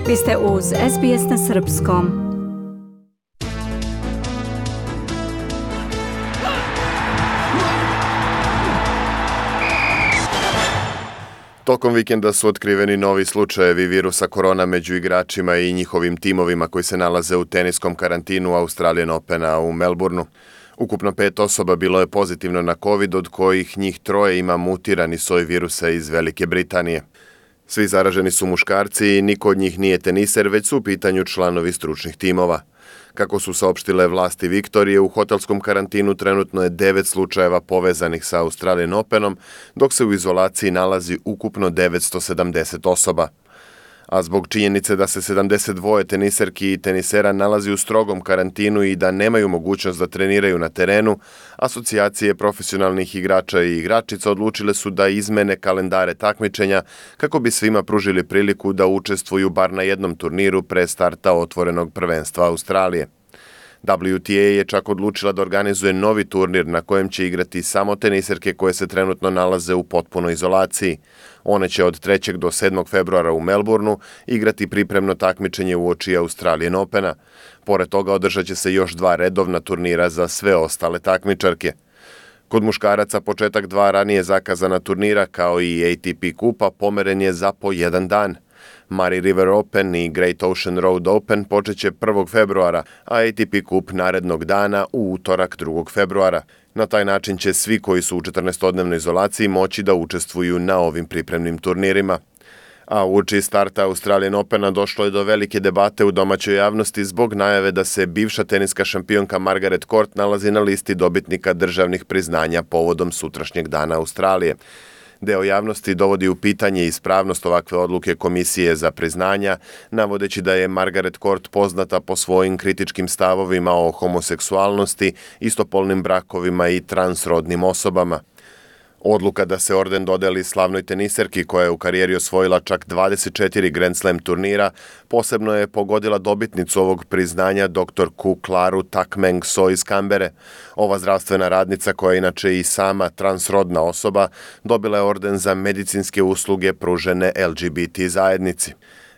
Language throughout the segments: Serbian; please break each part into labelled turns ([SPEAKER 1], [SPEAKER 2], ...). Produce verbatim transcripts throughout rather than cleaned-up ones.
[SPEAKER 1] Vi ste uz S B S na srpskom.
[SPEAKER 2] Tokom vikenda su otkriveni novi slučajevi virusa korona među igračima i njihovim timovima koji se nalaze u teniskom karantinu Australian Opena u Melbourneu. Ukupno pet osoba bilo je pozitivno na COVID, od kojih njih troje ima mutirani soj virusa iz Velike Britanije. Svi zaraženi su muškarci i niko od njih nije teniser, već su u pitanju članovi stručnih timova. Kako su saopštile vlasti Viktorije, u hotelskom karantinu trenutno je devet slučajeva povezanih sa Australian Openom, dok se u izolaciji nalazi ukupno devetsto sedamdeset osoba. A zbog činjenice da se sedamdeset dva teniserki i tenisera nalazi u strogom karantinu i da nemaju mogućnost da treniraju na terenu, asocijacije profesionalnih igrača i igračica odlučile su da izmene kalendare takmičenja kako bi svima pružili priliku da učestvuju bar na jednom turniru pre starta otvorenog prvenstva Australije. W T A je čak odlučila da organizuje novi turnir na kojem će igrati samo teniserke koje se trenutno nalaze u potpunoj izolaciji. One će od trećeg do sedmog februara u Melbourneu igrati pripremno takmičenje uoči Australian Opena. Pored toga održat će se još dva redovna turnira za sve ostale takmičarke. Kod muškaraca početak dva ranije zakazana turnira kao i A T P kupa pomeren je za po jedan dan. Murray River Open i Great Ocean Road Open počeće prvog februara, a A T P kup narednog dana u utorak drugog februara. Na taj način će svi koji su u četrnaestodnevnoj izolaciji moći da učestvuju na ovim pripremnim turnirima. A uoči starta Australian Opena došlo je do velike debate u domaćoj javnosti zbog najave da se bivša teniska šampionka Margaret Court nalazi na listi dobitnika državnih priznanja povodom sutrašnjeg dana Australije. Deo javnosti dovodi u pitanje ispravnost ovakve odluke Komisije za priznanja, navodeći da je Margaret Court poznata po svojim kritičkim stavovima o homoseksualnosti, istopolnim brakovima i transrodnim osobama. Odluka da se orden dodeli slavnoj teniserki koja je u karijeri osvojila čak dvadeset četiri Grand Slam turnira, posebno je pogodila dobitnicu ovog priznanja doktor Ku Klaru Takmeng So iz Kambere. Ova zdravstvena radnica, koja je inače i sama transrodna osoba, dobila je orden za medicinske usluge pružene L G B T zajednici.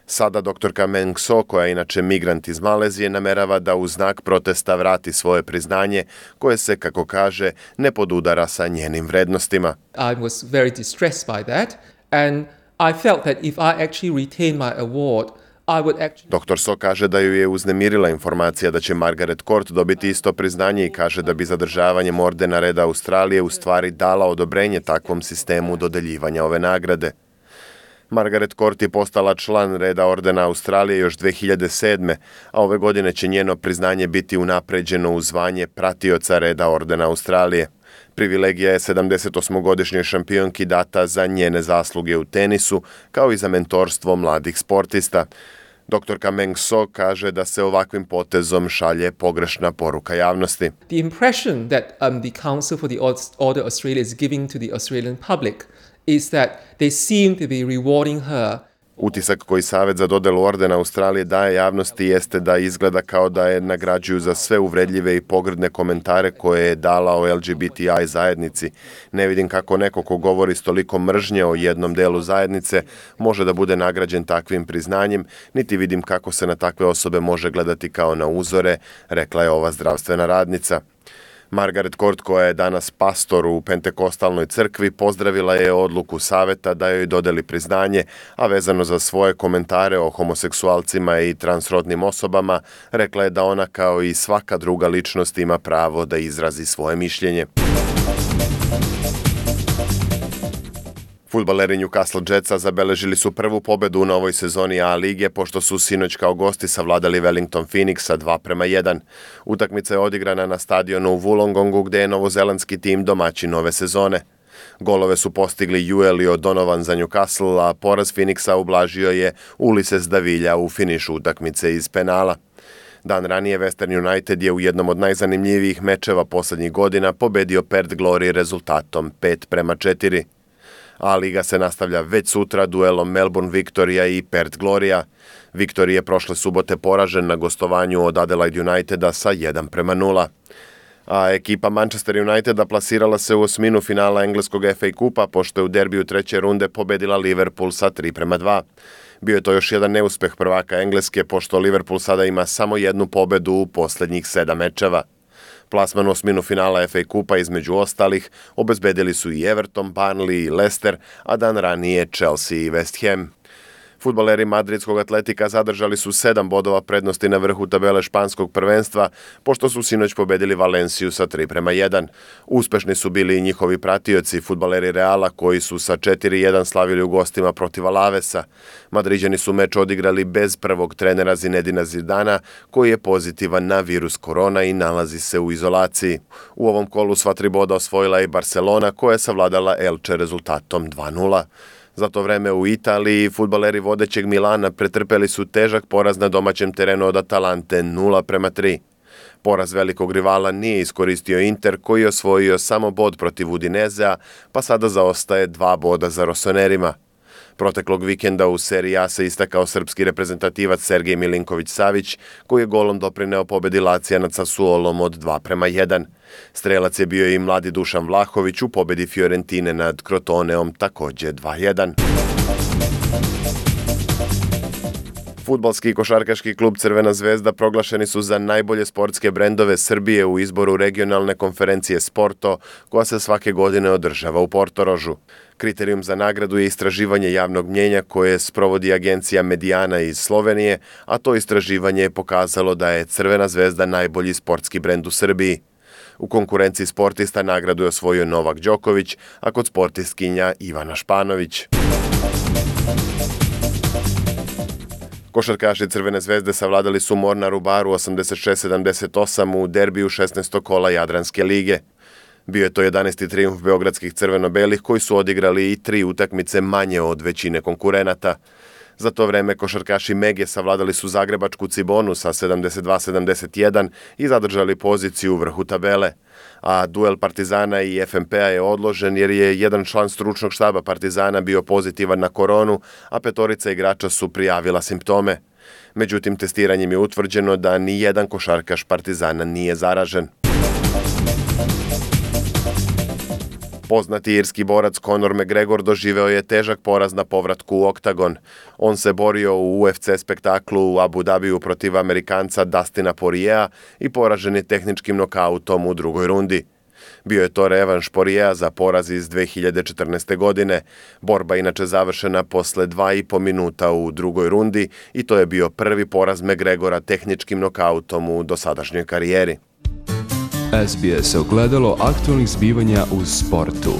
[SPEAKER 2] Sada doktorka Meng So, koja je inače migrant iz Malezije, namerava da u znak protesta vrati svoje priznanje, koje se, kako kaže, ne podudara sa njenim vrednostima.
[SPEAKER 3] I was very distressed by that and I felt that if I actually retain my award, I would actually...
[SPEAKER 2] Doktor So kaže da ju je uznemirila informacija da će Margaret Court dobiti isto priznanje i kaže da bi zadržavanjem ordena Reda Australije u stvari dala odobrenje takvom sistemu dodeljivanja ove nagrade. Margaret Court je postala član Reda ordena Australije još dve hiljade sedme. a ove godine će njeno priznanje biti unapređeno u zvanje pratioca Reda ordena Australije. Privilegija je sedamdesetosmogodišnjoj šampionki data za njene zasluge u tenisu, kao i za mentorstvo mladih sportista. Doktorka Meng So kaže da se ovakvim potezom šalje pogrešna poruka javnosti.
[SPEAKER 3] The impression that um, the Council for the Order Australia is giving to the Australian public is that they seem to be rewarding her.
[SPEAKER 2] Utisak koji Savet za dodelu ordena Australije daje javnosti jeste da izgleda kao da je nagrađuju za sve uvredljive i pogrdne komentare koje je dala o L G B T I zajednici. Ne vidim kako neko ko govori s toliko mržnje o jednom delu zajednice može da bude nagrađen takvim priznanjem, niti vidim kako se na takve osobe može gledati kao na uzore, rekla je ova zdravstvena radnica. Margaret Court, koja je danas pastor u Pentekostalnoj crkvi, pozdravila je odluku Saveta da joj dodeli priznanje, a vezano za svoje komentare o homoseksualcima i transrodnim osobama, rekla je da ona kao i svaka druga ličnost ima pravo da izrazi svoje mišljenje. Fudbaleri Newcastle Jetsa zabeležili su prvu pobedu u novoj sezoni A lige, pošto su sinoć kao gosti savladali Wellington Phoenix sa dva prema jedan. Utakmica je odigrana na stadionu u Wollongongu, gde je novozelandski tim domaćin nove sezone. Golove su postigli Juel i O'Donovan za Newcastle, a poraz Phoenixa ublažio je Ulises Davilja u finišu utakmice iz penala. Dan ranije Western United je u jednom od najzanimljivijih mečeva poslednjih godina pobedio Perth Glory rezultatom pet prema četiri. A liga se nastavlja već sutra duelom Melbourne Victoria i Perth Gloria. Victoria je prošle subote poražen na gostovanju od Adelaide Uniteda sa jedan prema nula. A ekipa Manchester Uniteda plasirala se u osminu finala engleskog F A kupa, pošto je u derbiju treće runde pobedila Liverpool sa tri prema dva. Bio je to još jedan neuspeh prvaka Engleske, pošto Liverpool sada ima samo jednu pobedu u posljednjih sedam mečeva. Plasman u osminu finala F A kupa između ostalih obezbedili su i Everton, Burnley i Leicester, a dan ranije Chelsea i West Ham. Fudbaleri madridskog Atletika zadržali su sedam bodova prednosti na vrhu tabele španskog prvenstva, pošto su sinoć pobedili Valenciju sa tri prema jedan. Uspešni su bili i njihovi pratioci, fudbaleri Reala, koji su sa četiri jedan slavili u gostima protiv Alavesa. Madriđani su meč odigrali bez prvog trenera Zinedina Zidana, koji je pozitivan na virus korona i nalazi se u izolaciji. U ovom kolu sva tri boda osvojila i Barcelona, koja je savladala Elche rezultatom dva nula. Za to vreme u Italiji fudbaleri vodećeg Milana pretrpeli su težak poraz na domaćem terenu od Atalante nula prema tri. Poraz velikog rivala nije iskoristio Inter, koji je osvojio samo bod protiv Udinezea, pa sada zaostaje dva boda za Rosonerima. Proteklog vikenda u Seriji A se istakao srpski reprezentativac Sergej Milinković-Savić, koji je golom doprineo pobedi Lacija nad Sassuolom od dva prema jedan. Strelac je bio i mladi Dušan Vlahović u pobedi Fiorentine nad Crotoneom takođe dva jedan. Fudbalski i košarkaški klub Crvena zvezda proglašeni su za najbolje sportske brendove Srbije u izboru regionalne konferencije Sporto, koja se svake godine održava u Portorožu. Kriterijum za nagradu je istraživanje javnog mnjenja koje sprovodi agencija Mediana iz Slovenije, a to istraživanje je pokazalo da je Crvena zvezda najbolji sportski brend u Srbiji. U konkurenciji sportista nagradu je osvojio Novak Đoković, a kod sportistkinja Ivana Španović. Košarkaši Crvene zvezde savladali su Mornar u Baru osamdeset šest sedamdeset osam u derbiju šesnaestog kola Jadranske lige. Bio je to jedanaesti trijumf beogradskih crveno-belih, koji su odigrali i tri utakmice manje od većine konkurenata. Za to vreme košarkaši Mege savladali su zagrebačku Cibonu sa sedamdeset dva sedamdeset jedan i zadržali poziciju u vrhu tabele. A duel Partizana i F M P-a je odložen jer je jedan član stručnog štaba Partizana bio pozitivan na koronu, a petorica igrača su prijavila simptome. Međutim, testiranjem je utvrđeno da ni jedan košarkaš Partizana nije zaražen. Poznati irski borac Conor McGregor doživeo je težak poraz na povratku u oktagon. On se borio u U F C spektaklu u Abu Dhabiju protiv Amerikanca Dustina Poiriea i poražen je tehničkim nokautom u drugoj rundi. Bio je to revanš Poiriea za poraz iz dve hiljade četrnaeste. godine. Borba inače završena posle dva i po minuta u drugoj rundi i to je bio prvi poraz McGregora tehničkim nokautom u dosadašnjoj karijeri.
[SPEAKER 4] S B S ogledalo aktualnih zbivanja u sportu.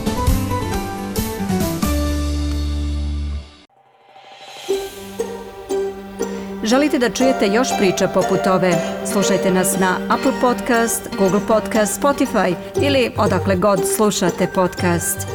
[SPEAKER 1] Želite da čujete još priča poput ove? Slušajte nas na Apple Podcast, Google Podcast, Spotify ili odakle god slušate podcast.